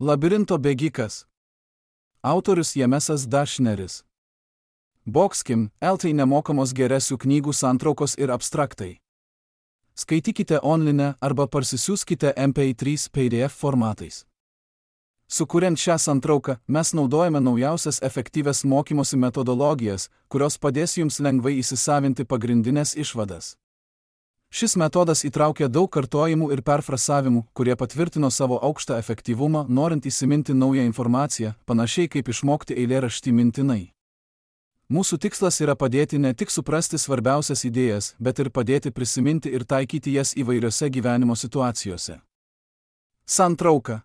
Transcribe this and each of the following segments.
Labirinto bėgikas. Autorius Jamesas Dašneris. Boxkim, LT nemokamos geresių knygų santraukos ir abstraktai. Skaitykite online arba parsisiųskite MP3 PDF formatais. Sukuriant šią santrauką, mes naudojame naujausias efektyvias mokymosi metodologijas, kurios padės jums lengvai įsisavinti pagrindinės išvadas. Šis metodas įtraukia daug kartojimų ir perfrasavimų, kurie patvirtino savo aukštą efektyvumą, norint įsiminti naują informaciją, panašiai kaip išmokti eilėraštį mintinai. Mūsų tikslas yra padėti ne tik suprasti svarbiausias idėjas, bet ir padėti prisiminti ir taikyti jas įvairiose gyvenimo situacijose. Santrauka.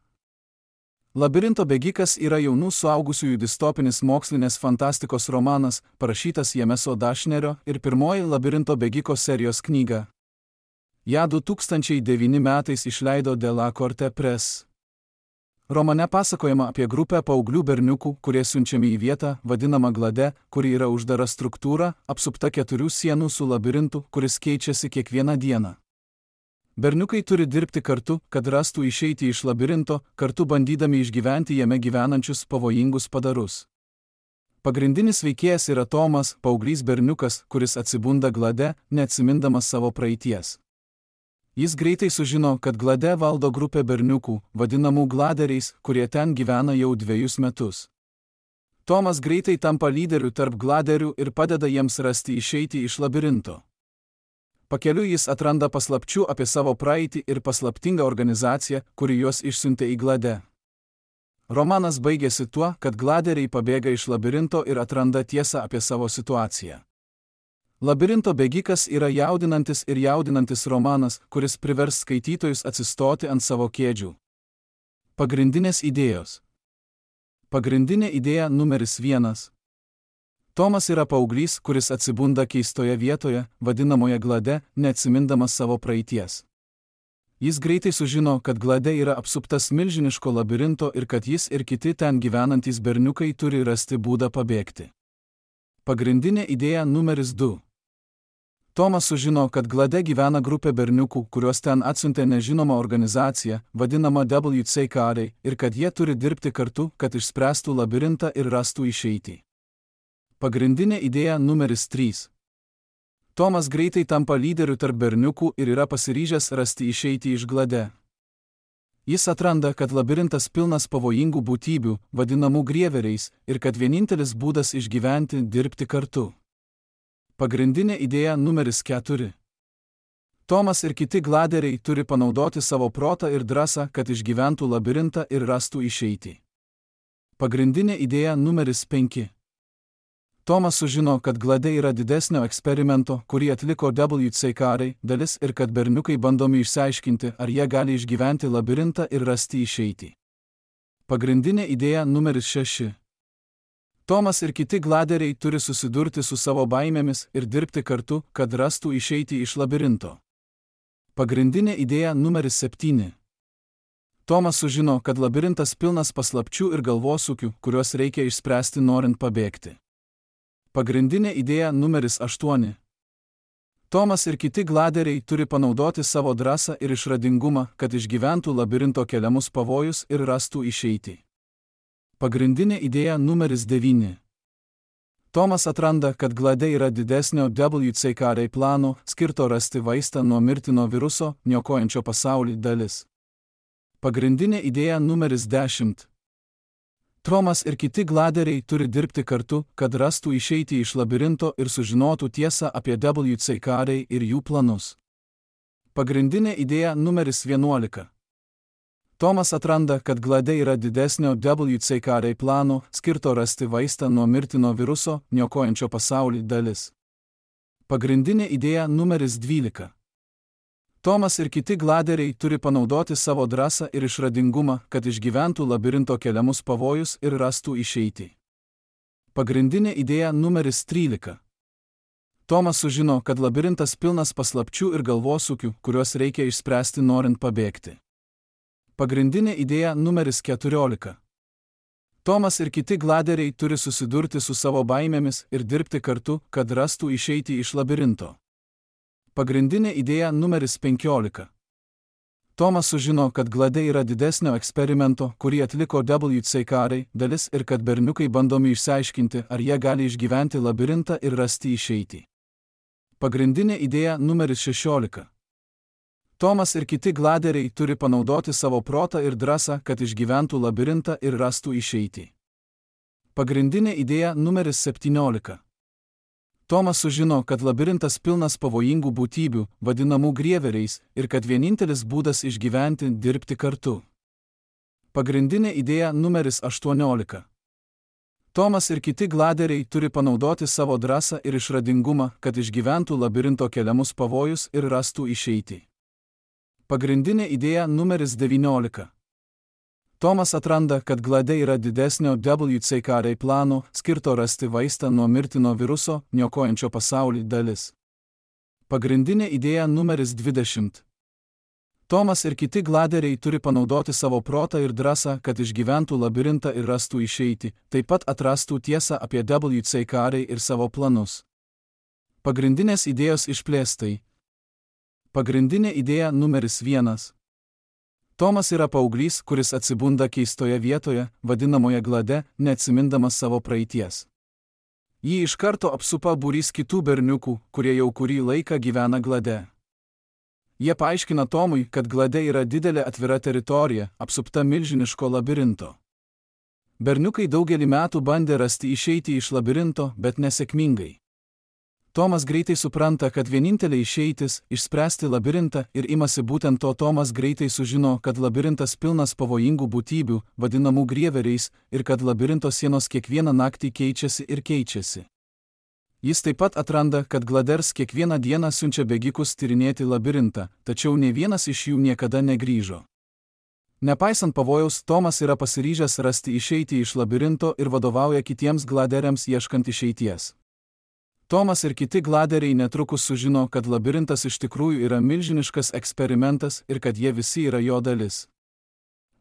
Labirinto bėgikas yra jaunų suaugusiųjų distopinis mokslinės fantastikos romanas, parašytas Jameso Dašnerio ir pirmoji Labirinto bėgiko serijos knyga. Ja 2009 metais išleido De La Corte Press. Romane pasakojama apie grupę paauglių berniukų, kurie siunčiami į vietą, vadinamą Glade, kuri yra uždara struktūra, apsupta 4 sienų su labirintu, kuris keičiasi kiekvieną dieną. Berniukai turi dirbti kartu, kad rastų išeiti iš labirinto, kartu bandydami išgyventi jame gyvenančius pavojingus padarus. Pagrindinis veikėjas yra Tomas, paauglys berniukas, kuris atsibunda Glade, neatsimindamas savo praeities. Jis greitai sužino, kad Glade valdo grupė berniukų, vadinamų gladeriais, kurie ten gyvena jau 2 metus. Tomas greitai tampa lyderiu tarp gladerių ir padeda jiems rasti išeiti iš labirinto. Pakeliui jis atranda paslapčių apie savo praeitį ir paslaptingą organizaciją, kuri juos išsiuntė į Glade. Romanas baigėsi tuo, kad gladeriai pabėga iš labirinto ir atranda tiesą apie savo situaciją. Labirinto bėgikas yra jaudinantis romanas, kuris privers skaitytojus atsistoti ant savo kėdžių. Pagrindinės idėjos. Pagrindinė idėja numeris 1. Tomas yra paauglys, kuris atsibunda keistoje vietoje, vadinamoje Glade, neatsimindamas savo praeities. Jis greitai sužino, kad Glade yra apsuptas milžiniško labirinto ir kad jis ir kiti ten gyvenantys berniukai turi rasti būdą pabėgti. Pagrindinė idėja numeris 2. Tomas sužino, kad Glade gyvena grupė berniukų, kuriuos ten atsiuntė nežinoma organizacija, vadinama WCKD, ir kad jie turi dirbti kartu, kad išspręstų labirintą ir rastų išeitį. Pagrindinė idėja numeris 3. Tomas greitai tampa lyderiu tarp berniukų ir yra pasiryžęs rasti išeitį iš Glade. Jis atranda, kad labirintas pilnas pavojingų būtybių, vadinamų grieveriais, ir kad vienintelis būdas išgyventi – dirbti kartu. Pagrindinė idėja numeris 4. Tomas ir kiti gladeriai turi panaudoti savo protą ir drąsą, kad išgyventų labirintą ir rastų išeitį. Pagrindinė idėja numeris 5. Tomas sužino, kad Glade yra didesnio eksperimento, kurį atliko WCKD dalis ir kad berniukai bandomi išsiaiškinti, ar jie gali išgyventi labirintą ir rasti išeitį. Pagrindinė idėja numeris 6. Tomas ir kiti gladeriai turi susidurti su savo baimėmis ir dirbti kartu, kad rastų išeitį iš labirinto. Pagrindinė idėja numeris 7. Tomas sužino, kad labirintas pilnas paslapčių ir galvosūkių, kuriuos reikia išspręsti norint pabėgti. Pagrindinė idėja numeris 8. Tomas ir kiti gladeriai turi panaudoti savo drąsą ir išradingumą, kad išgyventų labirinto keliamus pavojus ir rastų išeitį. Pagrindinė idėja numeris 9. Tomas atranda, kad Glade yra didesnio WCKD plano, skirto rasti vaistą nuo mirtino viruso, niokojančio pasaulį dalis. Pagrindinė idėja numeris 10. Tomas ir kiti gladeriai turi dirbti kartu, kad rastų išeitį iš labirinto ir sužinotų tiesą apie WCKD ir jų planus. Pagrindinė idėja numeris 11. Tomas atranda, kad Glade yra didesnio WCKD plano, skirto rasti vaistą nuo mirtino viruso, niokojančio pasaulį dalis. Pagrindinė idėja numeris 12. Tomas ir kiti gladeriai turi panaudoti savo drąsą ir išradingumą, kad išgyventų labirinto keliamus pavojus ir rastų išeitį. Pagrindinė idėja numeris 13. Tomas sužino, kad labirintas pilnas paslapčių ir galvosūkių, kuriuos reikia išspręsti norint pabėgti. Pagrindinė idėja numeris 14. Tomas ir kiti gladeriai turi susidurti su savo baimėmis ir dirbti kartu, kad rastų išeitį iš labirinto. Pagrindinė idėja numeris 15. Tomas sužino, kad glade yra didesnio eksperimento, kurį atliko WC karai, dalis ir kad berniukai bandomi išsiaiškinti, ar jie gali išgyventi labirintą ir rasti išeitį. Pagrindinė idėja numeris 16. Tomas ir kiti gladeriai turi panaudoti savo protą ir drąsą, kad išgyventų labirintą ir rastų išeitį. Pagrindinė idėja numeris 17. Tomas sužino, kad labirintas pilnas pavojingų būtybių, vadinamų grieveriais, ir kad vienintelis būdas išgyventi – dirbti kartu. Pagrindinė idėja numeris 18. Tomas ir kiti gladeriai turi panaudoti savo drąsą ir išradingumą, kad išgyventų labirinto keliamus pavojus ir rastų išeitį. Pagrindinė idėja numeris 19. Tomas atranda, kad glade yra didesnio WC karai plano, skirto rasti vaistą nuo mirtino viruso, niokojančio pasaulį dalis. Pagrindinė idėja numeris 20. Tomas ir kiti gladeriai turi panaudoti savo protą ir drąsą, kad išgyventų labirintą ir rastų išeitį, taip pat atrastų tiesą apie WC karai ir savo planus. Pagrindinės idėjos išplėstai. Pagrindinė idėja numeris 1. Tomas yra paauglys, kuris atsibunda keistoje vietoje, vadinamoje glade, neatsimindamas savo praeities. Jį iš karto apsupa būrys kitų berniukų, kurie jau kurį laiką gyvena glade. Jie paaiškina Tomui, kad glade yra didelė atvira teritorija, apsupta milžiniško labirinto. Berniukai daugelį metų bandė rasti išeitį iš labirinto, bet nesėkmingai. Tomas greitai supranta, kad vienintelė išeitis – išspręsti labirintą ir imasi būtent to. Tomas greitai sužino, kad labirintas pilnas pavojingų būtybių, vadinamų grieveriais, ir kad labirinto sienos kiekvieną naktį keičiasi ir keičiasi. Jis taip pat atranda, kad gladers kiekvieną dieną siunčia bėgikus tyrinėti labirintą, tačiau nė vienas iš jų niekada negrįžo. Nepaisant pavojaus, Tomas yra pasiryžęs rasti išeitį iš labirinto ir vadovauja kitiems gladeriams ieškant išeities. Tomas ir kiti gladeriai netrukus sužino, kad labirintas iš tikrųjų yra milžiniškas eksperimentas ir kad jie visi yra jo dalis.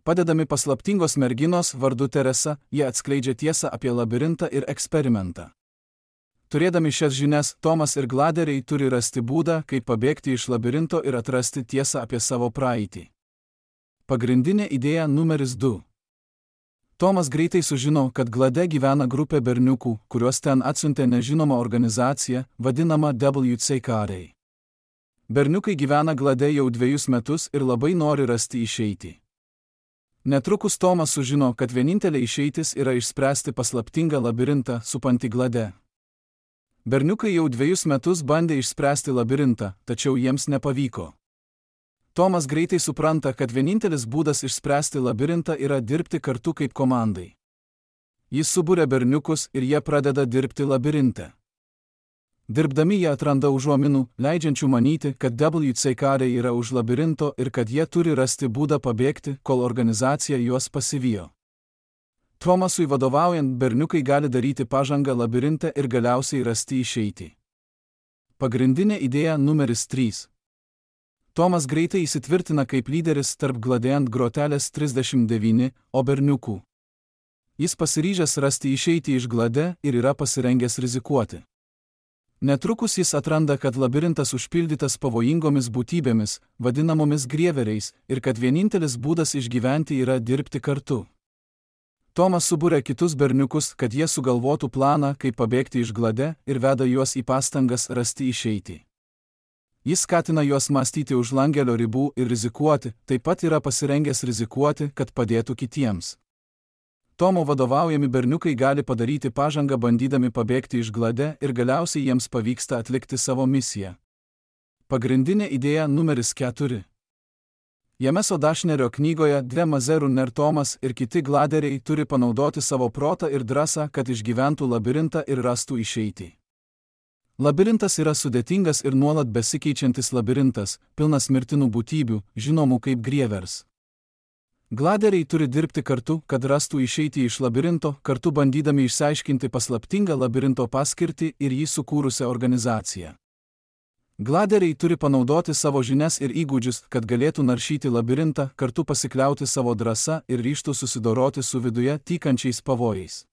Padedami paslaptingos merginos vardu Teresa, jie atskleidžia tiesą apie labirintą ir eksperimentą. Turėdami šias žinias, Tomas ir gladeriai turi rasti būdą, kaip pabėgti iš labirinto ir atrasti tiesą apie savo praeitį. Pagrindinė idėja numeris 2. Tomas greitai sužino, kad glade gyvena grupė berniukų, kuriuos ten atsiuntė nežinoma organizacija, vadinama WC karai. Berniukai gyvena glade jau 2 metus ir labai nori rasti išeitį. Netrukus Tomas sužino, kad vienintelė išeitis yra išspręsti paslaptingą labirintą supantį glade. Berniukai jau 2 metus bandė išspręsti labirintą, tačiau jiems nepavyko. Tomas greitai supranta, kad vienintelis būdas išspręsti labirintą yra dirbti kartu kaip komandai. Jis suburia berniukus ir jie pradeda dirbti labirinte. Dirbdami jie atranda užuominų, leidžiančių manyti, kad WC karai yra už labirinto ir kad jie turi rasti būdą pabėgti, kol organizacija juos pasivijo. Tomasui vadovaujant, berniukai gali daryti pažangą labirinte ir galiausiai rasti išeitį. Pagrindinė idėja numeris 3. Tomas greitai įsitvirtina kaip lyderis tarp glade ant grotelės 39, o berniukų. Jis pasiryžęs rasti išeitį iš glade ir yra pasirengęs rizikuoti. Netrukus jis atranda, kad labirintas užpildytas pavojingomis būtybėmis, vadinamomis grieveriais, ir kad vienintelis būdas išgyventi yra dirbti kartu. Tomas suburia kitus berniukus, kad jie sugalvotų planą, kaip pabėgti iš glade, ir veda juos į pastangas rasti išeitį. Jis skatina juos mąstyti už langelio ribų ir rizikuoti, taip pat yra pasirengęs rizikuoti, kad padėtų kitiems. Tomo vadovaujami berniukai gali padaryti pažangą bandydami pabėgti iš glade ir galiausiai jiems pavyksta atlikti savo misiją. Pagrindinė idėja numeris 4. Jameso Dašnerio knygoje Dve Mazerų Tomas ir kiti gladeriai turi panaudoti savo protą ir drąsą, kad išgyventų labirintą ir rastų išeitį. Labirintas yra sudėtingas ir nuolat besikeičiantis labirintas, pilnas mirtinų būtybių, žinomų kaip grievers. Gladeriai turi dirbti kartu, kad rastų išeitį iš labirinto, kartu bandydami išsiaiškinti paslaptingą labirinto paskirtį ir jį sukūrusią organizaciją. Gladeriai turi panaudoti savo žinias ir įgūdžius, kad galėtų naršyti labirintą, kartu pasikliauti savo drąsa ir ryžtų susidoroti su viduje tykančiais pavojais.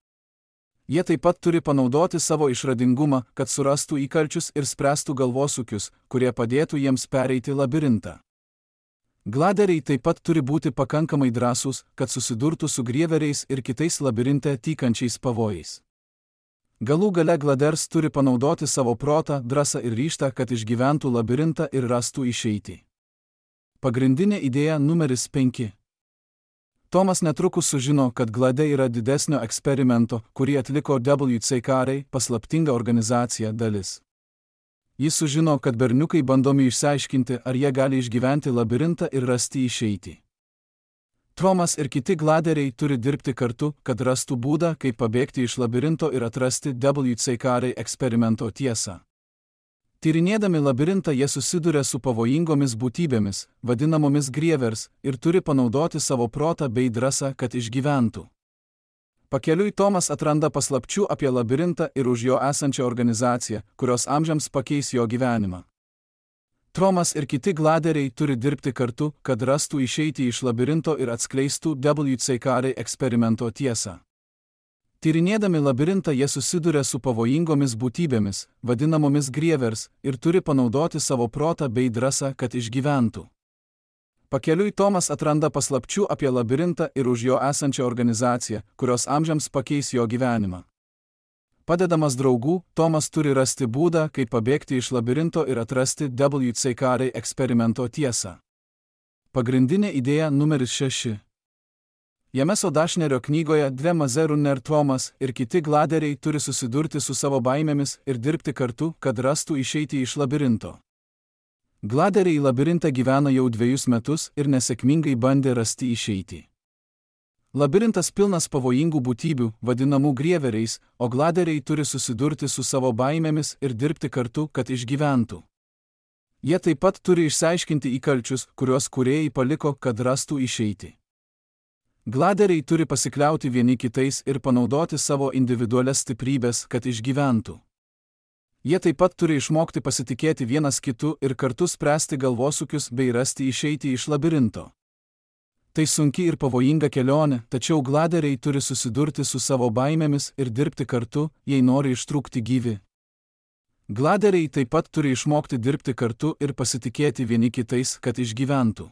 Jie taip pat turi panaudoti savo išradingumą, kad surastų įkalčius ir spręstų galvosūkius, kurie padėtų jiems pereiti labirintą. Gladeriai taip pat turi būti pakankamai drąsūs, kad susidurtų su grieveriais ir kitais labirinte tykančiais pavojais. Galų gale gladers turi panaudoti savo protą, drąsą ir ryžtą, kad išgyventų labirintą ir rastų išeitį. Pagrindinė idėja numeris 5. Tomas netrukus sužino, kad Glade yra didesnio eksperimento, kurį atliko WCKR, paslaptinga organizacija, dalis. Jis sužino, kad berniukai bandomi išsiaiškinti, ar jie gali išgyventi labirintą ir rasti išeitį. Tomas ir kiti gladeriai turi dirbti kartu, kad rastų būdą, kaip pabėgti iš labirinto ir atrasti WCKR eksperimento tiesą. Tyrinėdami labirintą jie susiduria su pavojingomis būtybėmis, vadinamomis grievers, ir turi panaudoti savo protą bei drąsą, kad išgyventų. Pakeliui Tomas atranda paslapčių apie labirintą ir už jo esančią organizaciją, kurios amžiams pakeis jo gyvenimą. Tomas ir kiti gladeriai turi dirbti kartu, kad rastų išeitį iš labirinto ir atskleistų WCKR eksperimento tiesą. Tyrinėdami labirintą jie susiduria su pavojingomis būtybėmis, vadinamomis grievers, ir turi panaudoti savo protą bei drąsą, kad išgyventų. Pakeliui Tomas atranda paslapčių apie labirintą ir už jo esančią organizaciją, kurios amžiams pakeis jo gyvenimą. Padedamas draugų, Tomas turi rasti būdą, kaip pabėgti iš labirinto ir atrasti WCKR eksperimento tiesą. Pagrindinė idėja numeris 6. Jameso Dashnerio knygoje Dve Mazerunner Tomas ir kiti gladeriai turi susidurti su savo baimėmis ir dirbti kartu, kad rastų išeitį iš labirinto. Gladeriai į labirintą gyvena jau 2 metus ir nesėkmingai bandė rasti išeitį. Labirintas pilnas pavojingų būtybių, vadinamų grieveriais, o gladeriai turi susidurti su savo baimėmis ir dirbti kartu, kad išgyventų. Jie taip pat turi išsiaiškinti įkalčius, kuriuos kūrėjai paliko, kad rastų išeitį. Gladeriai turi pasikliauti vieni kitais ir panaudoti savo individualias stiprybės, kad išgyventų. Jie taip pat turi išmokti pasitikėti vienas kitu ir kartu spręsti galvosūkius bei rasti išeitį iš labirinto. Tai sunki ir pavojinga kelionė, tačiau gladeriai turi susidurti su savo baimėmis ir dirbti kartu, jei nori ištrūkti gyvi. Gladeriai taip pat turi išmokti dirbti kartu ir pasitikėti vieni kitais, kad išgyventų.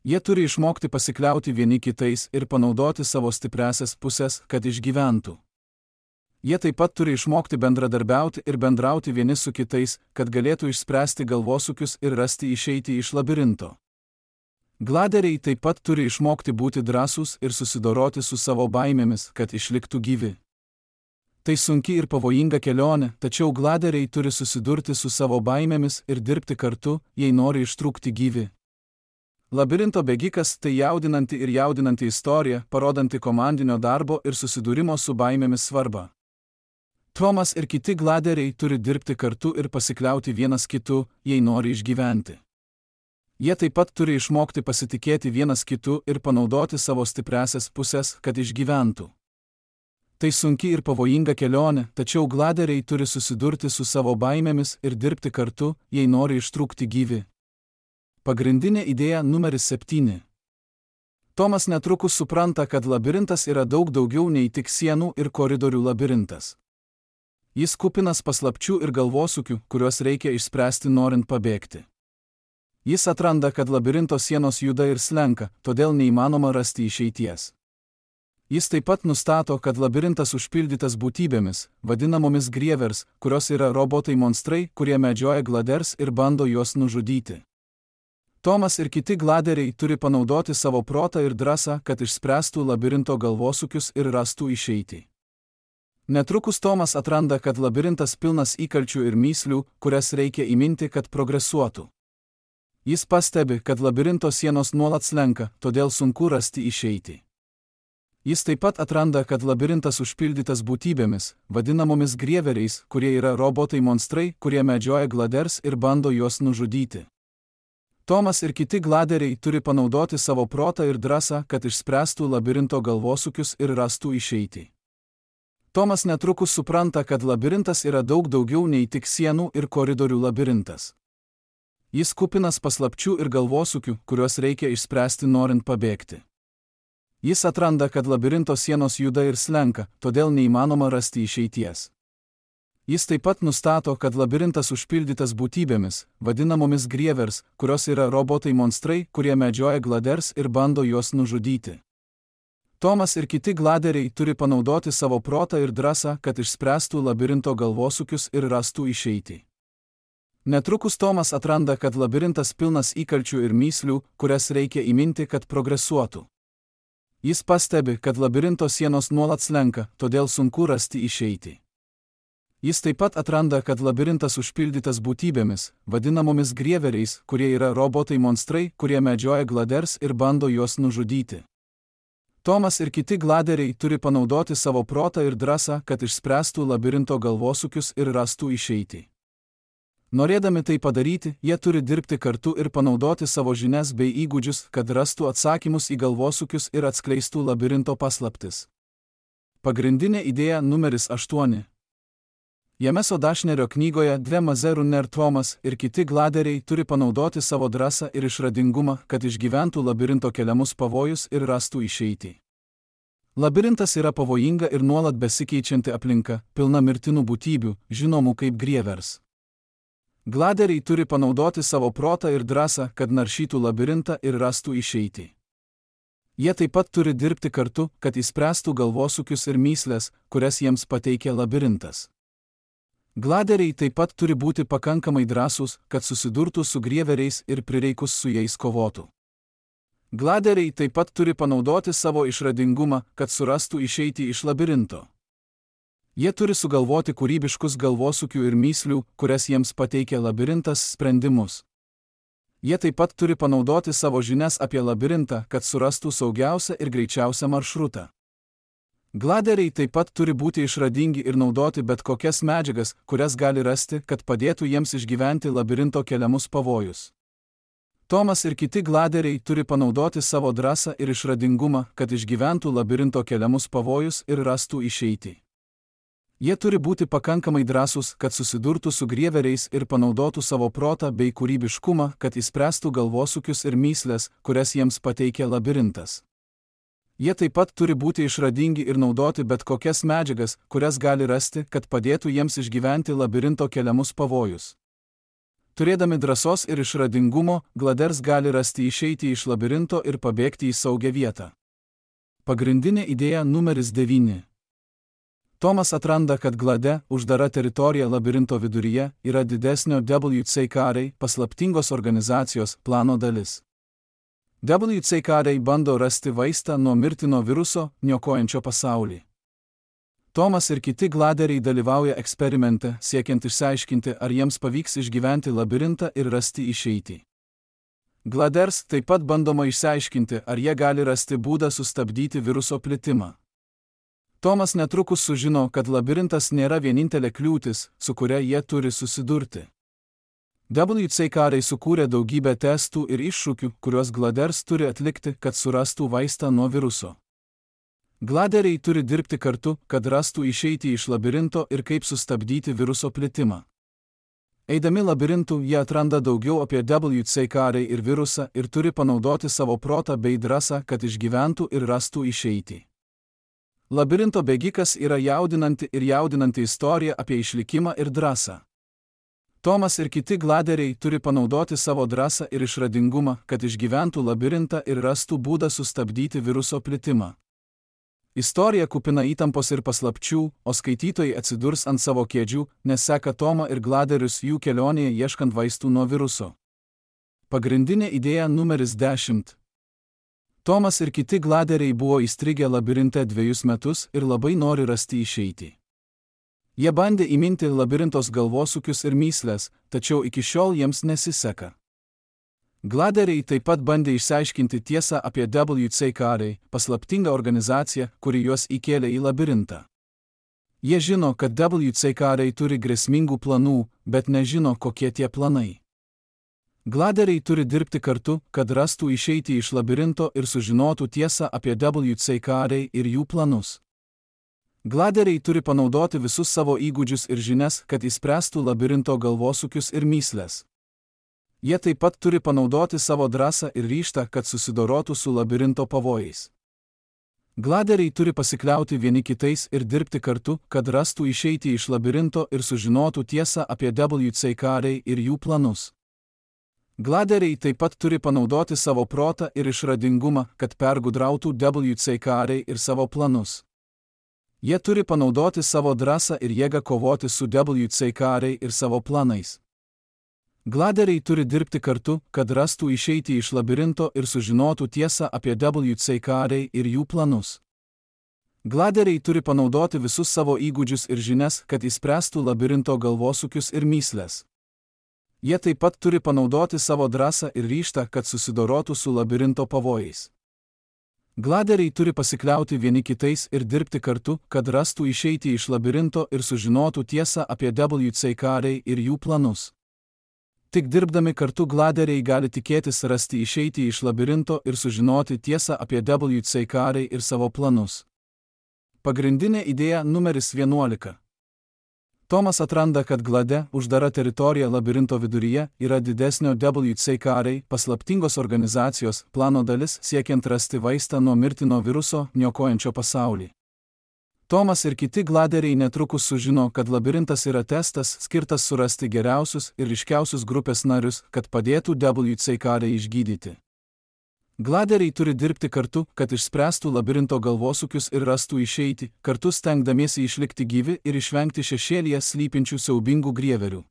Jie turi išmokti pasikliauti vieni kitais ir panaudoti savo stipriąsias pusės, kad išgyventų. Jie taip pat turi išmokti bendradarbiauti ir bendrauti vieni su kitais, kad galėtų išspręsti galvosūkius ir rasti išeitį iš labirinto. Gladeriai taip pat turi išmokti būti drąsūs ir susidoroti su savo baimėmis, kad išliktų gyvi. Tai sunki ir pavojinga kelionė, tačiau gladeriai turi susidurti su savo baimėmis ir dirbti kartu, jei nori ištrūkti gyvi. Labirinto bėgikas tai jaudinanti ir jaudinanti istorija, parodanti komandinio darbo ir susidūrimo su baimėmis svarbą. Tomas ir kiti gladeriai turi dirbti kartu ir pasikliauti vienas kitu, jei nori išgyventi. Jie taip pat turi išmokti pasitikėti vienas kitu ir panaudoti savo stipriąsias pusės, kad išgyventų. Tai sunki ir pavojinga kelionė, tačiau gladeriai turi susidurti su savo baimėmis ir dirbti kartu, jei nori ištrūkti gyvi. Pagrindinė idėja numeris 7. Tomas netrukus supranta, kad labirintas yra daug daugiau nei tik sienų ir koridorių labirintas. Jis kupinas paslapčių ir galvosūkių, kuriuos reikia išspręsti norint pabėgti. Jis atranda, kad labirinto sienos juda ir slenka, todėl neįmanoma rasti išeities. Jis taip pat nustato, kad labirintas užpildytas būtybėmis, vadinamomis grievers, kurios yra robotai monstrai, kurie medžioja gladers ir bando juos nužudyti. Tomas ir kiti gladeriai turi panaudoti savo protą ir drąsą, kad išspręstų labirinto galvosūkius ir rastų išeitį. Netrukus Tomas atranda, kad labirintas pilnas įkalčių ir mįslių, kurias reikia įminti, kad progresuotų. Jis pastebi, kad labirinto sienos nuolat slenka, todėl sunku rasti išeitį. Jis taip pat atranda, kad labirintas užpildytas būtybėmis, vadinamomis grieveriais, kurie yra robotai monstrai, kurie medžioja gladers ir bando juos nužudyti. Tomas ir kiti gladeriai turi panaudoti savo protą ir drąsą, kad išspręstų labirinto galvosūkius ir rastų išeitį. Tomas netrukus supranta, kad labirintas yra daug daugiau nei tik sienų ir koridorių labirintas. Jis kupinas paslapčių ir galvosūkių, kuriuos reikia išspręsti norint pabėgti. Jis atranda, kad labirinto sienos juda ir slenka, todėl neįmanoma rasti išeities. Jis taip pat nustato, kad labirintas užpildytas būtybėmis, vadinamomis grievers, kurios yra robotai monstrai, kurie medžioja gladers ir bando juos nužudyti. Tomas ir kiti gladeriai turi panaudoti savo protą ir drąsą, kad išspręstų labirinto galvosūkius ir rastų išeitį. Netrukus Tomas atranda, kad labirintas pilnas įkalčių ir mįslių, kurias reikia įminti, kad progresuotų. Jis pastebi, kad labirinto sienos nuolat slenka, todėl sunku rasti išeitį. Jis taip pat atranda, kad labirintas užpildytas būtybėmis, vadinamomis grieveriais, kurie yra robotai monstrai, kurie medžioja gladers ir bando juos nužudyti. Tomas ir kiti gladeriai turi panaudoti savo protą ir drąsą, kad išspręstų labirinto galvosūkius ir rastų išeitį. Norėdami tai padaryti, jie turi dirbti kartu ir panaudoti savo žinias bei įgūdžius, kad rastų atsakymus į galvosūkius ir atskleistų labirinto paslaptis. Pagrindinė idėja numeris 8. Jameso Dashnerio knygoje Dve Runner Tomas ir kiti gladeriai turi panaudoti savo drąsą ir išradingumą, kad išgyventų labirinto keliamus pavojus ir rastų išeitį. Labirintas yra pavojinga ir nuolat besikeičianti aplinka, pilna mirtinų būtybių, žinomų kaip grievers. Gladeriai turi panaudoti savo protą ir drąsą, kad naršytų labirintą ir rastų išeitį. Jie taip pat turi dirbti kartu, kad išspręstų galvosūkius ir mįsles, kurias jiems pateikia labirintas. Gladeriai taip pat turi būti pakankamai drąsūs, kad susidurtų su grieveriais ir prireikus su jais kovotų. Gladeriai taip pat turi panaudoti savo išradingumą, kad surastų išeitį iš labirinto. Jie turi sugalvoti kūrybiškus galvosūkių ir mįslių, kurias jiems pateikia labirintas, sprendimus. Jie taip pat turi panaudoti savo žinias apie labirintą, kad surastų saugiausią ir greičiausią maršrutą. Gladeriai taip pat turi būti išradingi ir naudoti bet kokias medžiagas, kurias gali rasti, kad padėtų jiems išgyventi labirinto keliamus pavojus. Tomas ir kiti gladeriai turi panaudoti savo drąsą ir išradingumą, kad išgyventų labirinto keliamus pavojus ir rastų išeitį. Jie turi būti pakankamai drąsūs, kad susidurtų su grieveriais ir panaudotų savo protą bei kūrybiškumą, kad išspręstų galvosūkius ir mįsles, kurias jiems pateikia labirintas. Jie taip pat turi būti išradingi ir naudoti bet kokias medžiagas, kurias gali rasti, kad padėtų jiems išgyventi labirinto keliamus pavojus. Turėdami drąsos ir išradingumo, gladers gali rasti išeitį iš labirinto ir pabėgti į saugią vietą. Pagrindinė idėja numeris 9. Tomas atranda, kad glade, uždara teritorija labirinto viduryje, yra didesnio WCKR, paslaptingos organizacijos, plano dalis. WCKR bando rasti vaistą nuo mirtino viruso, niokojančio pasaulį. Tomas ir kiti gladeriai dalyvauja eksperimente, siekiant išsiaiškinti, ar jiems pavyks išgyventi labirintą ir rasti išeitį. Gladers taip pat bandoma išsiaiškinti, ar jie gali rasti būdą sustabdyti viruso plitimą. Tomas netrukus sužino, kad labirintas nėra vienintelė kliūtis, su kuria jie turi susidurti. WCKR sukūrė daugybę testų ir iššūkių, kuriuos gladers turi atlikti, kad surastų vaistą nuo viruso. Gladeriai turi dirbti kartu, kad rastų išeitį iš labirinto ir kaip sustabdyti viruso plitimą. Eidami labirintu, jie atranda daugiau apie WCKR ir virusą ir turi panaudoti savo protą bei drąsą, kad išgyventų ir rastų išeitį. Labirinto bėgikas yra jaudinanti istorija apie išlikimą ir drąsą. Tomas ir kiti gladeriai turi panaudoti savo drąsą ir išradingumą, kad išgyventų labirintą ir rastų būdą sustabdyti viruso plitimą. Istorija kupina įtampos ir paslapčių, o skaitytojai atsidurs ant savo kėdžių, nes seka Tomą ir gladerius jų kelionėje ieškant vaistų nuo viruso. Pagrindinė idėja numeris 10. Tomas ir kiti gladeriai buvo įstrigę labirinte 2 metus ir labai nori rasti išeitį. Jie bandė įminti labirintos galvosūkius ir mįsles, tačiau iki šiol jiems nesiseka. Gladeriai taip pat bandė išsiaiškinti tiesą apie WCKR, paslaptingą organizaciją, kuri juos įkėlė į labirintą. Jie žino, kad WCKR turi grėsmingų planų, bet nežino, kokie tie planai. Gladeriai turi dirbti kartu, kad rastų išeitį iš labirinto ir sužinotų tiesą apie WCKR ir jų planus. Gladeriai turi panaudoti visus savo įgūdžius ir žinias, kad išspręstų labirinto galvosūkius ir mįsles. Jie taip pat turi panaudoti savo drąsą ir ryžtą, kad susidorotų su labirinto pavojais. Gladeriai turi pasikliauti vieni kitais ir dirbti kartu, kad rastų išeitį iš labirinto ir sužinotų tiesą apie WCK ir jų planus. Gladeriai taip pat turi panaudoti savo protą ir išradingumą, kad pergudrautų WCK ir savo planus. Jie turi panaudoti savo drąsą ir jėgą kovoti su WCK ir savo planais. Gladeriai turi dirbti kartu, kad rastų išeitį iš labirinto ir sužinotų tiesą apie WCK ir jų planus. Gladeriai turi panaudoti visus savo įgūdžius ir žinias, kad išspręstų labirinto galvosūkius ir mįsles. Jie taip pat turi panaudoti savo drąsą ir ryžtą, kad susidorotų su labirinto pavojais. Gladeriai turi pasikliauti vieni kitais ir dirbti kartu, kad rastų išeitį iš labirinto ir sužinotų tiesą apie WCK ir jų planus. Tik dirbdami kartu gladeriai gali tikėtis rasti išeitį iš labirinto ir sužinoti tiesą apie WCK ir savo planus. Pagrindinė idėja numeris 11. Tomas atranda, kad glade, uždara teritorija labirinto viduryje yra didesnio WCK paslaptingos organizacijos plano dalis siekiant rasti vaistą nuo mirtino viruso, niokojančio pasaulį. Tomas ir kiti gladeriai netrukus sužino, kad labirintas yra testas skirtas surasti geriausius ir ryškiausius grupės narius, kad padėtų WCK išgydyti. Gladeriai turi dirbti kartu, kad išspręstų labirinto galvosūkius ir rastų išeitį, kartu stengdamiesi išlikti gyvi ir išvengti šešėlyje slypinčių siaubingų grieverių.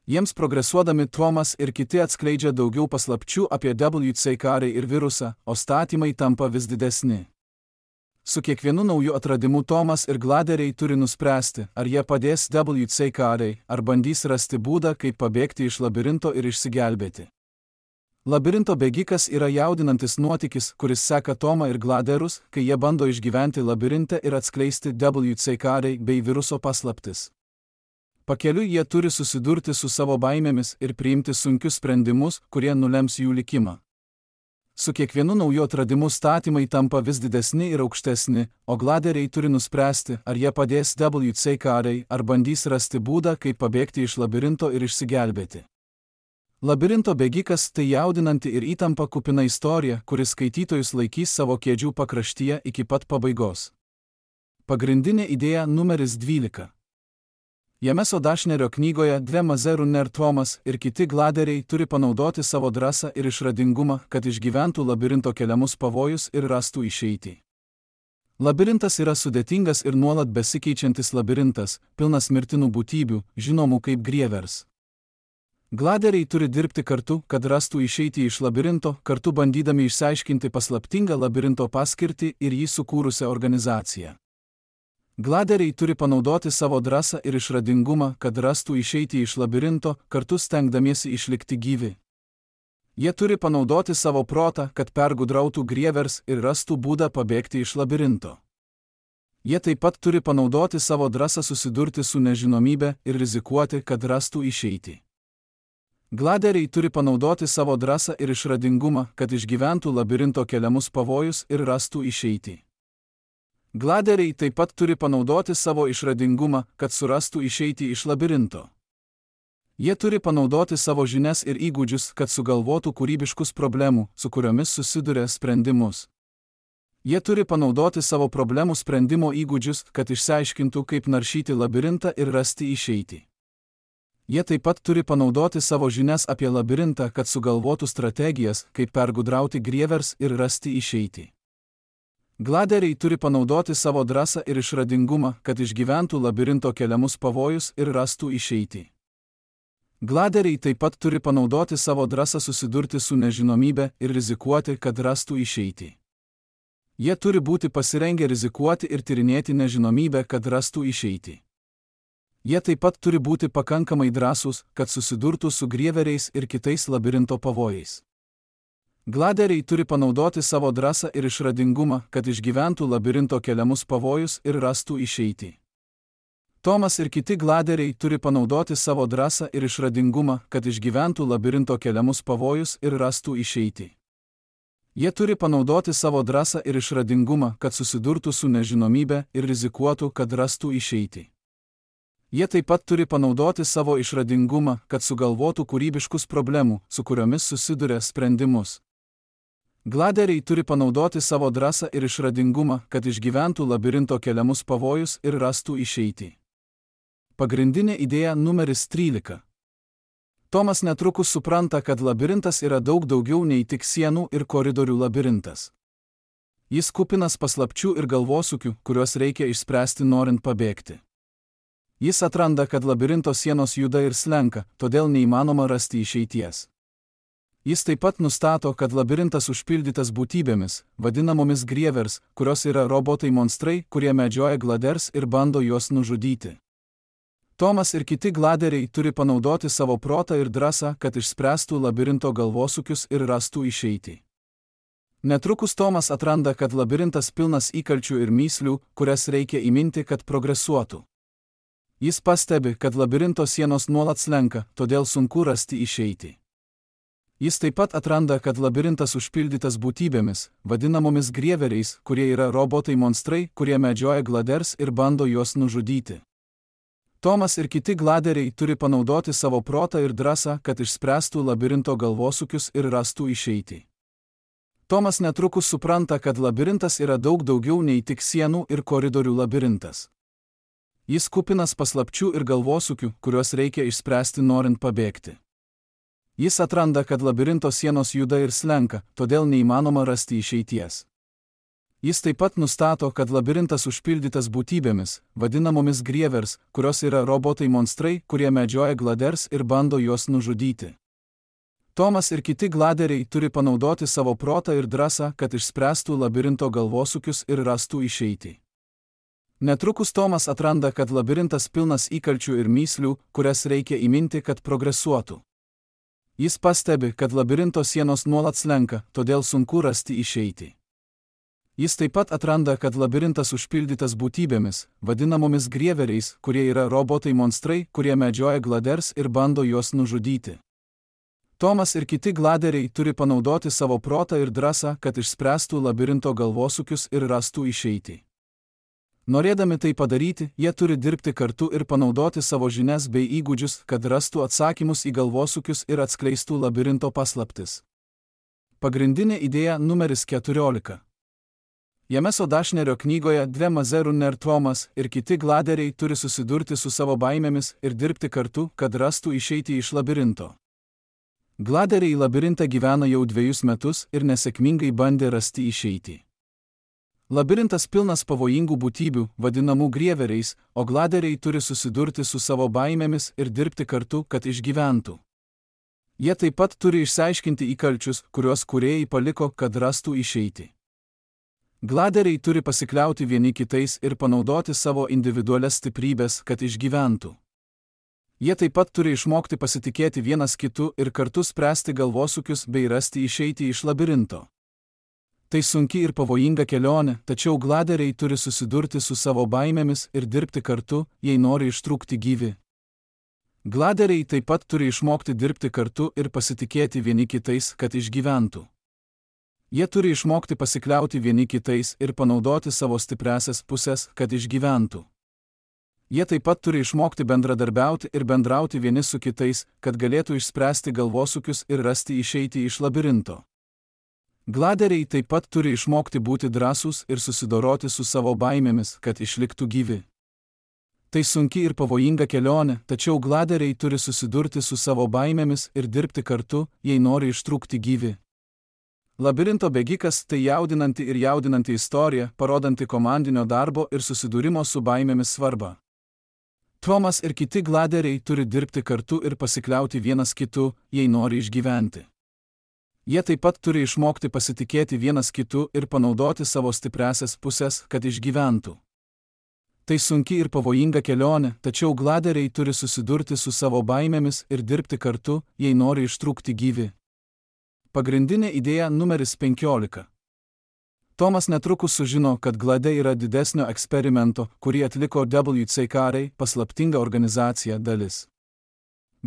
Jiems progresuodami Tomas ir kiti atskleidžia daugiau paslapčių apie WCK ir virusą, o statymai tampa vis didesni. Su kiekvienu nauju atradimu Tomas ir gladeriai turi nuspręsti, ar jie padės WCK, ar bandys rasti būdą, kaip pabėgti iš labirinto ir išsigelbėti. Labirinto bėgikas yra jaudinantis nuotykis, kuris seka Tomą ir gladerus, kai jie bando išgyventi labirinte ir atskleisti WCK bei viruso paslaptis. Pakeliui jie turi susidurti su savo baimėmis ir priimti sunkius sprendimus, kurie nulems jų likimą. Su kiekvienu nauju atradimu statymai tampa vis didesni ir aukštesni, o gladeriai turi nuspręsti, ar jie padės WCK ar bandys rasti būdą, kaip pabėgti iš labirinto ir išsigelbėti. Labirinto bėgikas tai jaudinanti ir įtampa kupina istorija, kuris skaitytojus laikys savo kėdžių pakraštyje iki pat pabaigos. Pagrindinė idėja numeris 12. Jameso Dašnerio knygoje Dve Mazerunner Tomas ir kiti gladeriai turi panaudoti savo drąsą ir išradingumą, kad išgyventų labirinto keliamus pavojus ir rastų išeitį. Labirintas yra sudėtingas ir nuolat besikeičiantis labirintas, pilnas mirtinų būtybių, žinomų kaip grievers. Gladeriai turi dirbti kartu, kad rastų išeitį iš labirinto, kartu bandydami išsiaiškinti paslaptingą labirinto paskirtį ir jį sukūrusią organizaciją. Gladeriai turi panaudoti savo drąsą ir išradingumą, kad rastų išeitį iš labirinto, kartu stengdamiesi išlikti gyvi. Jie turi panaudoti savo protą, kad pergudrautų grievers ir rastų būdą pabėgti iš labirinto. Jie taip pat turi panaudoti savo drąsą susidurti su nežinomybe ir rizikuoti, kad rastų išeitį. Gladeriai turi panaudoti savo drąsą ir išradingumą, kad išgyventų labirinto keliamus pavojus ir rastų išeitį. Gladeriai taip pat turi panaudoti savo išradingumą, kad surastų išeitį iš labirinto. Jie turi panaudoti savo žinias ir įgūdžius, kad sugalvotų kūrybiškus problemų, su kuriomis susiduria sprendimus. Jie turi panaudoti savo problemų sprendimo įgūdžius, kad išsiaiškintų, kaip naršyti labirintą ir rasti išeitį. Jie taip pat turi panaudoti savo žinias apie labirintą, kad sugalvotų strategijas, kaip pergudrauti grievers ir rasti išeitį. Gladeriai turi panaudoti savo drąsą ir išradingumą, kad išgyventų labirinto keliamus pavojus ir rastų išeitį. Gladeriai taip pat turi panaudoti savo drąsą susidurti su nežinomybe ir rizikuoti, kad rastų išeitį. Jie turi būti pasirengę rizikuoti ir tyrinėti nežinomybę, kad rastų išeitį. Jie taip pat turi būti pakankamai drąsūs, kad susidurtų su grieveriais ir kitais labirinto pavojais. Gladeriai turi panaudoti savo drąsą ir išradingumą, kad išgyventų labirinto keliamus pavojus ir rastų išeitį. Tomas ir kiti gladeriai turi panaudoti savo drąsą ir išradingumą, kad išgyventų labirinto keliamus pavojus ir rastų išeitį. Jie turi panaudoti savo drąsą ir išradingumą, kad susidurtų su nežinomybe ir rizikuotų, kad rastų išeitį. Jie taip pat turi panaudoti savo išradingumą, kad sugalvotų kūrybiškus problemų, su kuriomis susiduria sprendimus. Gladeriai turi panaudoti savo drąsą ir išradingumą, kad išgyventų labirinto keliamus pavojus ir rastų išeitį. Pagrindinė idėja numeris 13. Tomas netrukus supranta, kad labirintas yra daug daugiau nei tik sienų ir koridorių labirintas. Jis kupinas paslapčių ir galvosūkių, kuriuos reikia išspręsti norint pabėgti. Jis atranda, kad labirinto sienos juda ir slenka, todėl neįmanoma rasti išeities. Jis taip pat nustato, kad labirintas užpildytas būtybėmis, vadinamomis grievers, kurios yra robotai monstrai, kurie medžioja gladers ir bando juos nužudyti. Tomas ir kiti gladeriai turi panaudoti savo protą ir drąsą, kad išspręstų labirinto galvosūkius ir rastų išeitį. Netrukus Tomas atranda, kad labirintas pilnas įkalčių ir mįslių, kurias reikia įminti, kad progresuotų. Jis pastebi, kad labirinto sienos nuolat slenka, todėl sunku rasti išeitį. Jis taip pat atranda, kad labirintas užpildytas būtybėmis, vadinamomis grieveriais, kurie yra robotai monstrai, kurie medžioja gladers ir bando juos nužudyti. Tomas ir kiti gladeriai turi panaudoti savo protą ir drąsą, kad išspręstų labirinto galvosūkius ir rastų išeitį. Tomas netrukus supranta, kad labirintas yra daug daugiau nei tik sienų ir koridorių labirintas. Jis kupinas paslapčių ir galvosūkių, kuriuos reikia išspręsti norint pabėgti. Jis atranda, kad labirinto sienos juda ir slenka, todėl neįmanoma rasti išeities. Jis taip pat nustato, kad labirintas užpildytas būtybėmis, vadinamomis grievers, kurios yra robotai monstrai, kurie medžioja gladers ir bando juos nužudyti. Tomas ir kiti gladeriai turi panaudoti savo protą ir drąsą, kad išspręstų labirinto galvosūkius ir rastų išeitį. Netrukus Tomas atranda, kad labirintas pilnas įkalčių ir mįslių, kurias reikia įminti, kad progresuotų. Jis pastebi, kad labirinto sienos nuolat slenka, todėl sunku rasti išeitį. Jis taip pat atranda, kad labirintas užpildytas būtybėmis, vadinamomis grieveriais, kurie yra robotai monstrai, kurie medžioja gladers ir bando juos nužudyti. Tomas ir kiti gladeriai turi panaudoti savo protą ir drąsą, kad išspręstų labirinto galvosūkius ir rastų išeitį. Norėdami tai padaryti, jie turi dirbti kartu ir panaudoti savo žinias bei įgūdžius, kad rastų atsakymus į galvosūkius ir atskleistų labirinto paslaptis. Pagrindinė idėja numeris 14. Jameso Dašnerio knygoje Dve Mazerunner Tomas ir kiti gladeriai turi susidurti su savo baimėmis ir dirbti kartu, kad rastų išeitį iš labirinto. Gladeriai į labirintą gyvena jau 2 metus ir nesėkmingai bandė rasti išeitį. Labirintas pilnas pavojingų būtybių, vadinamų grieveriais, o gladeriai turi susidurti su savo baimėmis ir dirbti kartu, kad išgyventų. Jie taip pat turi išsiaiškinti įkalčius, kuriuos kūrėjai paliko, kad rastų išeitį. Gladeriai turi pasikliauti vieni kitais ir panaudoti savo individualias stiprybės, kad išgyventų. Jie taip pat turi išmokti pasitikėti vienas kitu ir kartu spręsti galvosūkius bei rasti išeitį iš labirinto. Tai sunki ir pavojinga kelionė, tačiau gladeriai turi susidurti su savo baimėmis ir dirbti kartu, jei nori ištrūkti gyvi. Gladeriai taip pat turi išmokti dirbti kartu ir pasitikėti vieni kitais, kad išgyventų. Jie turi išmokti pasikliauti vieni kitais ir panaudoti savo stipriąsias pusės, kad išgyventų. Jie taip pat turi išmokti bendradarbiauti ir bendrauti vieni su kitais, kad galėtų išspręsti galvosūkius ir rasti išeitį iš labirinto. Gladeriai taip pat turi išmokti būti drąsūs ir susidoroti su savo baimėmis, kad išliktų gyvi. Tai sunki ir pavojinga kelionė, tačiau gladeriai turi susidurti su savo baimėmis ir dirbti kartu, jei nori ištrūkti gyvi. Labirinto bėgikas tai jaudinanti ir jaudinanti istorija, parodanti komandinio darbo ir susidūrimo su baimėmis svarbą. Tomas ir kiti gladeriai turi dirbti kartu ir pasikliauti vienas kitu, jei nori išgyventi. Jie taip pat turi išmokti pasitikėti vienas kitu ir panaudoti savo stipriąsias pusės, kad išgyventų. Tai sunki ir pavojinga kelionė, tačiau gladeriai turi susidurti su savo baimėmis ir dirbti kartu, jei nori ištrūkti gyvi. Pagrindinė idėja numeris 15. Tomas netrukus sužino, kad glade yra didesnio eksperimento, kurį atliko WCKR, paslaptinga organizacija, dalis.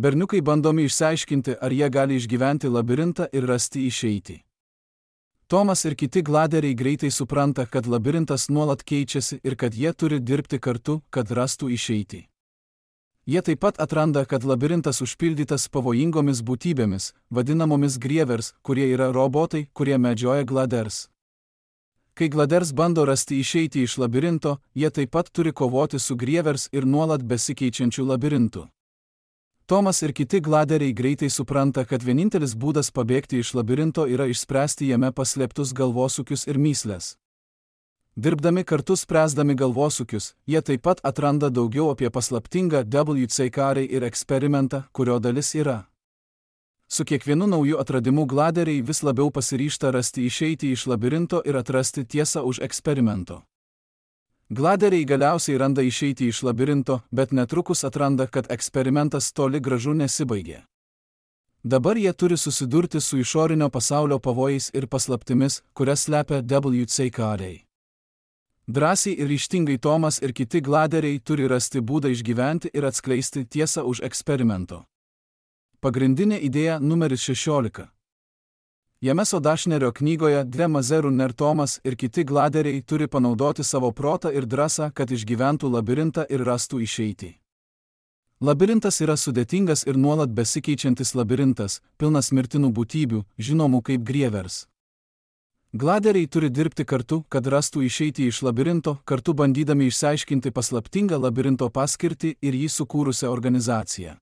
Berniukai bandomi išsiaiškinti, ar jie gali išgyventi labirintą ir rasti išeitį. Tomas ir kiti gladeriai greitai supranta, kad labirintas nuolat keičiasi ir kad jie turi dirbti kartu, kad rastų išeitį. Jie taip pat atranda, kad labirintas užpildytas pavojingomis būtybėmis, vadinamomis grievers, kurie yra robotai, kurie medžioja gladers. Kai gladers bando rasti išeiti iš labirinto, jie taip pat turi kovoti su grievers ir nuolat besikeičiančiu labirintu. Tomas ir kiti gladeriai greitai supranta, kad vienintelis būdas pabėgti iš labirinto yra išspręsti jame paslėptus galvosūkius ir mįsles. Dirbdami kartu spręsdami galvosūkius, jie taip pat atranda daugiau apie paslaptingą WC-karį ir eksperimentą, kurio dalis yra. Su kiekvienu nauju atradimu gladeriai vis labiau pasiryžta rasti išeiti iš labirinto ir atrasti tiesą už eksperimento. Gladeriai galiausiai randa išeiti iš labirinto, bet netrukus atranda, kad eksperimentas toli gražu nesibaigė. Dabar jie turi susidurti su išorinio pasaulio pavojais ir paslaptimis, kurias slepia WC-kariai. Drąsiai ir ryžtingai Tomas ir kiti gladeriai turi rasti būdą išgyventi ir atskleisti tiesą už eksperimento. Pagrindinė idėja numeris 16. Jameso Dashnerio knygoje Dve Mazerų Ner Tomas ir kiti gladeriai turi panaudoti savo protą ir drąsą, kad išgyventų labirintą ir rastų išeitį. Labirintas yra sudėtingas ir nuolat besikeičiantis labirintas, pilnas mirtinų būtybių, žinomų kaip grievers. Gladeriai turi dirbti kartu, kad rastų išeitį iš labirinto, kartu bandydami išsiaiškinti paslaptingą labirinto paskirtį ir jį sukūrusią organizaciją.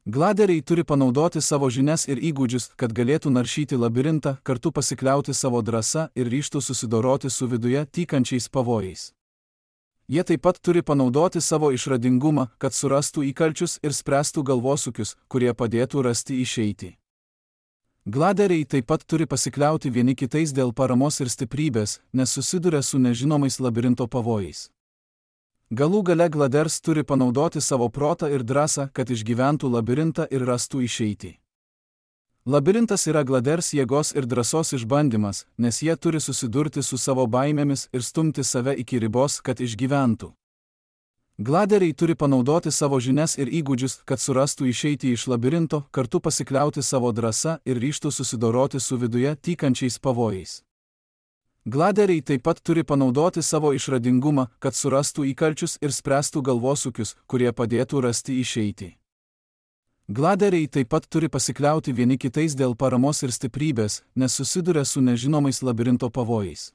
Gladeriai turi panaudoti savo žinias ir įgūdžius, kad galėtų naršyti labirintą, kartu pasikliauti savo drąsa ir ryžtų susidoroti su viduje tykančiais pavojais. Jie taip pat turi panaudoti savo išradingumą, kad surastų įkalčius ir spręstų galvosūkius, kurie padėtų rasti išeitį. Gladeriai taip pat turi pasikliauti vieni kitais dėl paramos ir stiprybės, nes susiduria su nežinomais labirinto pavojais. Galų gale gladers turi panaudoti savo protą ir drąsą, kad išgyventų labirintą ir rastų išeitį. Labirintas yra gladers jėgos ir drąsos išbandymas, nes jie turi susidurti su savo baimėmis ir stumti save iki ribos, kad išgyventų. Gladeriai turi panaudoti savo žinias ir įgūdžius, kad surastų išeitį iš labirinto, kartu pasikliauti savo drąsa ir ryžtų susidoroti su viduje tykančiais pavojais. Gladeriai taip pat turi panaudoti savo išradingumą, kad surastų įkalčius ir spręstų galvosūkius, kurie padėtų rasti išeitį. Gladeriai taip pat turi pasikliauti vieni kitais dėl paramos ir stiprybės, nes susiduria su nežinomais labirinto pavojais.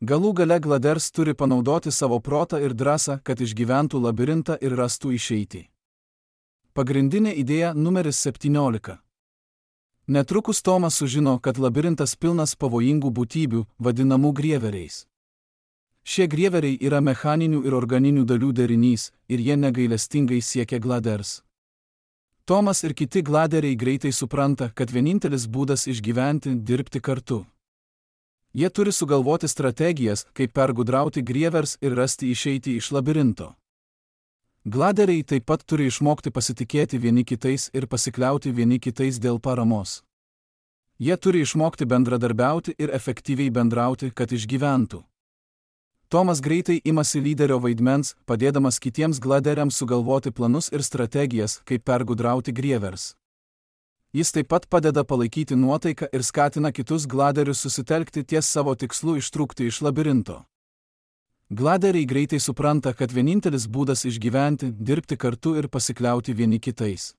Galų gale gladers turi panaudoti savo protą ir drąsą, kad išgyventų labirintą ir rastų išeitį. Pagrindinė idėja numeris 17. Netrukus Tomas sužino, kad labirintas pilnas pavojingų būtybių, vadinamų grieveriais. Šie grieveriai yra mechaninių ir organinių dalių derinys, ir jie negailestingai siekia gladers. Tomas ir kiti gladeriai greitai supranta, kad vienintelis būdas išgyventi – dirbti kartu. Jie turi sugalvoti strategijas, kaip pergudrauti grievers ir rasti išeitį iš labirinto. Gladeriai taip pat turi išmokti pasitikėti vieni kitais ir pasikliauti vieni kitais dėl paramos. Jie turi išmokti bendradarbiauti ir efektyviai bendrauti, kad išgyventų. Tomas greitai imasi lyderio vaidmens, padėdamas kitiems gladeriams sugalvoti planus ir strategijas, kaip pergudrauti grievers. Jis taip pat padeda palaikyti nuotaiką ir skatina kitus gladerius susitelkti ties savo tikslu ištrūkti iš labirinto. Gladeriai greitai supranta, kad vienintelis būdas išgyventi – dirbti kartu ir pasikliauti vieni kitais.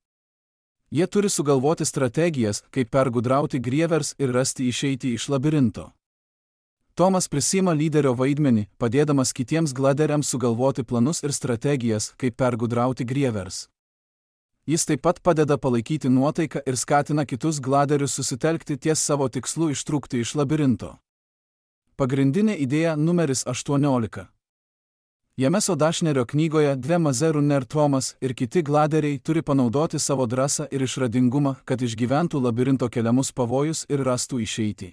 Jie turi sugalvoti strategijas, kaip pergudrauti grievers ir rasti išeitį iš labirinto. Tomas prisima lyderio vaidmenį, padėdamas kitiems gladeriams sugalvoti planus ir strategijas, kaip pergudrauti grievers. Jis taip pat padeda palaikyti nuotaiką ir skatina kitus gladerius susitelkti ties savo tikslu ištrūkti iš labirinto. Pagrindinė idėja numeris 18. Jameso Dashnerio knygoje Dve Mazerų Ner Tomas ir kiti gladeriai turi panaudoti savo drąsą ir išradingumą, kad išgyventų labirinto keliamus pavojus ir rastų išeitį.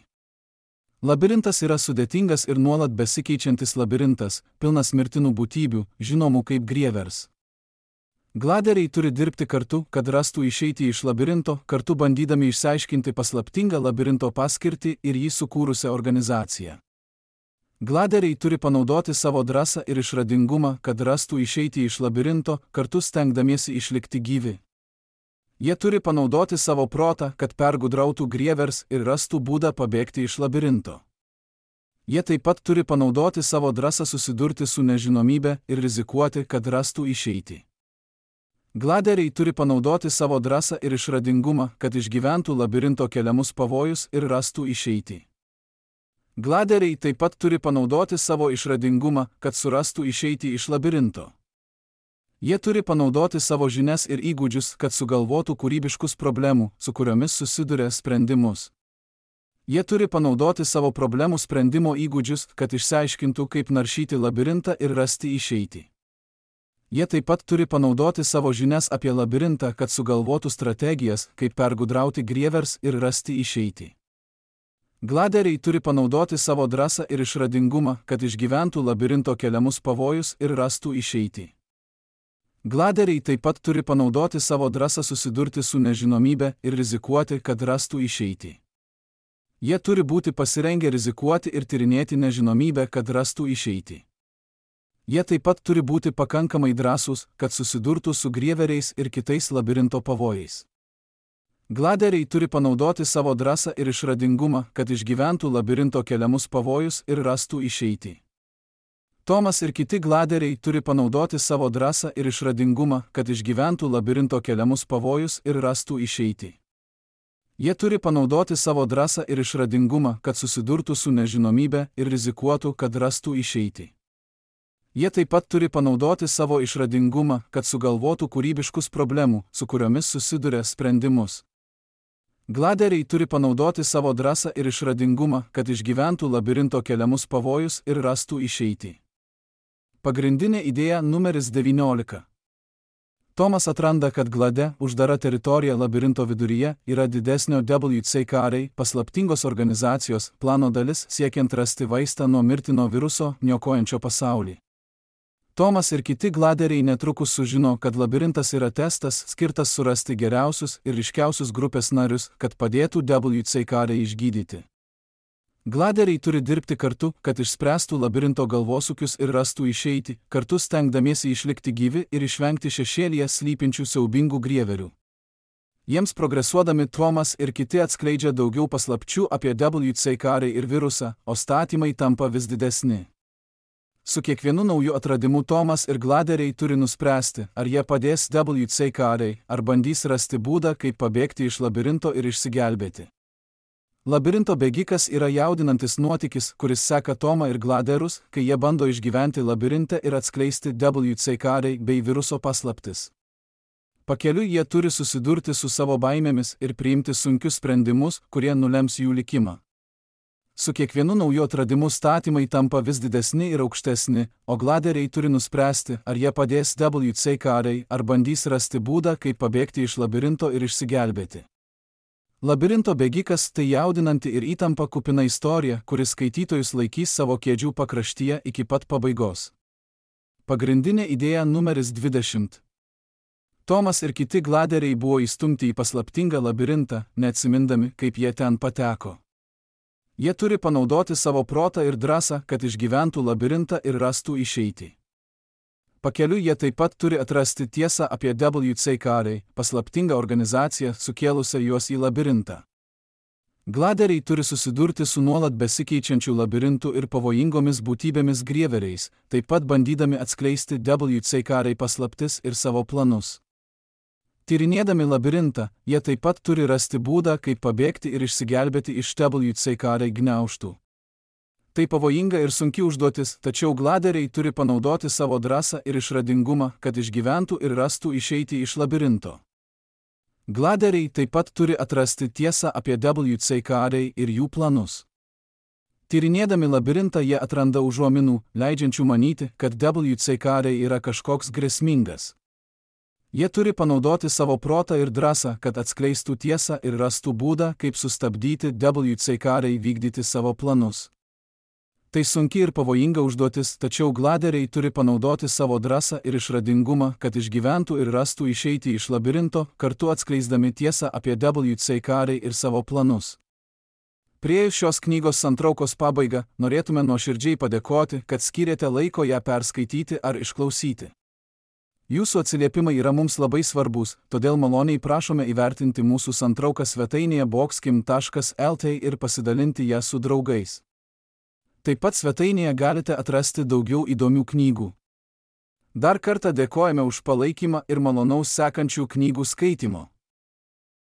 Labirintas yra sudėtingas ir nuolat besikeičiantis labirintas, pilnas mirtinų būtybių, žinomų kaip grievers. Gladeriai turi dirbti kartu, kad rastų išeitį iš labirinto, kartu bandydami išsiaiškinti paslaptingą labirinto paskirtį ir jį sukūrusią organizaciją. Gladeriai turi panaudoti savo drąsą ir išradingumą, kad rastų išeitį iš labirinto, kartu stengdamiesi išlikti gyvi. Jie turi panaudoti savo protą, kad pergudrautų grievers ir rastų būdą pabėgti iš labirinto. Jie taip pat turi panaudoti savo drąsą susidurti su nežinomybe ir rizikuoti, kad rastų išeitį. Gladeriai turi panaudoti savo drąsą ir išradingumą, kad išgyventų labirinto keliamus pavojus ir rastų išeitį. Gladeriai taip pat turi panaudoti savo išradingumą, kad surastų išeitį iš labirinto. Jie turi panaudoti savo žinias ir įgūdžius, kad sugalvotų kūrybiškus problemų, su kuriomis susiduria sprendimus. Jie turi panaudoti savo problemų sprendimo įgūdžius, kad išsiaiškintų, kaip naršyti labirintą ir rasti išeitį. Jie taip pat turi panaudoti savo žinias apie labirintą, kad sugalvotų strategijas, kaip pergudrauti grievers ir rasti išeitį. Gladeriai turi panaudoti savo drąsą ir išradingumą, kad išgyventų labirinto keliamus pavojus ir rastų išeitį. Gladeriai taip pat turi panaudoti savo drąsą susidurti su nežinomybe ir rizikuoti, kad rastų išeitį. Jie turi būti pasirengę rizikuoti ir tyrinėti nežinomybę, kad rastų išeitį. Jie taip pat turi būti pakankamai drąsūs, kad susidurtų su grieveriais ir kitais labirinto pavojais. Gladeriai turi panaudoti savo drąsą ir išradingumą, kad išgyventų labirinto keliamus pavojus ir rastų išeitį. Tomas ir kiti gladeriai turi panaudoti savo drąsą ir išradingumą, kad išgyventų labirinto keliamus pavojus ir rastų išeitį. Jie turi panaudoti savo drąsą ir išradingumą, kad susidurtų su nežinomybe ir rizikuotų, kad rastų išeitį. Jie taip pat turi panaudoti savo išradingumą, kad sugalvotų kūrybiškus problemų, su kuriomis susiduria sprendimus. Gladeriai turi panaudoti savo drąsą ir išradingumą, kad išgyventų labirinto keliamus pavojus ir rastų išeitį. Pagrindinė idėja numeris 19. Tomas atranda, kad glade, uždara teritorija labirinto viduryje yra didesnio WCKR paslaptingos organizacijos plano dalis siekiant rasti vaistą nuo mirtino viruso, niokojančio pasaulį. Tomas ir kiti gladeriai netrukus sužino, kad labirintas yra testas skirtas surasti geriausius ir ryškiausius grupės narius, kad padėtų WCKR išgydyti. Gladeriai turi dirbti kartu, kad išspręstų labirinto galvosūkius ir rastų išeitį, kartu stengdamiesi išlikti gyvi ir išvengti šešėlyje slypinčių siaubingų grieverių. Jiems progresuodami Tomas ir kiti atskleidžia daugiau paslapčių apie WCKR ir virusą, o statymai tampa vis didesni. Su kiekvienu nauju atradimu Tomas ir gladeriai turi nuspręsti, ar jie padės WCKR, ar bandys rasti būdą, kaip pabėgti iš labirinto ir išsigelbėti. Labirinto bėgikas yra jaudinantis nuotykis, kuris seka Tomą ir gladerus, kai jie bando išgyventi labirinte ir atskleisti WCKR bei viruso paslaptis. Pakeliui jie turi susidurti su savo baimėmis ir priimti sunkius sprendimus, kurie nulems jų likimą. Su kiekvienu nauju atradimu statymai tampa vis didesni ir aukštesni, o gladeriai turi nuspręsti, ar jie padės WCKR, ar bandys rasti būdą, kaip pabėgti iš labirinto ir išsigelbėti. Labirinto bėgikas tai jaudinanti ir įtampa kupina istorija, kuris skaitytojus laikys savo kėdžių pakraštyje iki pat pabaigos. Pagrindinė idėja numeris 20. Tomas ir kiti gladeriai buvo įstumti į paslaptingą labirintą, neatsimindami, kaip jie ten pateko. Jie turi panaudoti savo protą ir drąsą, kad išgyventų labirintą ir rastų išeitį. Pakeliui jie taip pat turi atrasti tiesą apie WCKR, paslaptingą organizaciją sukėlusią juos į labirintą. Gladeriai turi susidurti su nuolat besikeičiančių labirintų ir pavojingomis būtybėmis grieveriais, taip pat bandydami atskleisti WCKR paslaptis ir savo planus. Tyrinėdami labirintą, jie taip pat turi rasti būdą, kaip pabėgti ir išsigelbėti iš WCKR gniaužtų. Tai pavojinga ir sunki užduotis, tačiau gladeriai turi panaudoti savo drąsą ir išradingumą, kad išgyventų ir rastų išeitį iš labirinto. Gladeriai taip pat turi atrasti tiesą apie WCKR ir jų planus. Tyrinėdami labirintą jie atranda užuominų, leidžiančių manyti, kad WCKR yra kažkoks grėsmingas. Jie turi panaudoti savo protą ir drąsą, kad atskleistų tiesą ir rastų būdą, kaip sustabdyti WCKR vykdyti savo planus. Tai sunki ir pavojinga užduotis, tačiau gladeriai turi panaudoti savo drąsą ir išradingumą, kad išgyventų ir rastų išeitį iš labirinto, kartu atskleisdami tiesą apie WCKR ir savo planus. Priėjus šios knygos santraukos pabaigą, norėtume nuoširdžiai padėkoti, kad skyrėte laiko ją perskaityti ar išklausyti. Jūsų atsiliepimai yra mums labai svarbus, todėl maloniai prašome įvertinti mūsų santrauką svetainėje boxkim.lt ir pasidalinti ją su draugais. Taip pat svetainėje galite atrasti daugiau įdomių knygų. Dar kartą dėkojame už palaikymą ir malonaus sekančių knygų skaitimo.